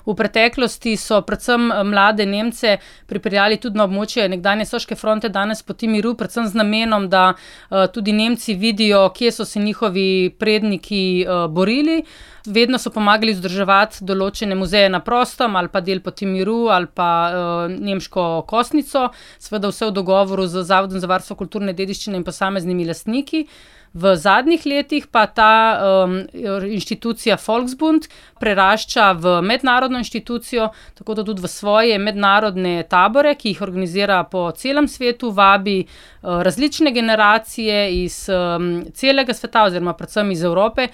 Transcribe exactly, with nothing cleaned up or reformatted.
V preteklosti so predvsem mlade Nemce pripeljali tudi na območje nekdanje Soške fronte, danes Poti miru, predvsem z namenom, da tudi Nemci vidijo, kje so se njihovi predniki borili. Vedno so pomagali vzdrževati določene muzeje na prostem, ali pa del Poti miru, ali pa nemško kostnico, seveda vse v dogovoru z Zavodom za varstvo kulturne dediščine in posameznimi lastniki. V zadnjih letih pa ta um, inštitucija Volksbund prerašča v mednarodno inštitucijo, tako da tudi v svoje mednarodne tabore, ki jih organizira po celem svetu, vabi uh, različne generacije iz um, celega sveta oziroma predvsem iz Evrope,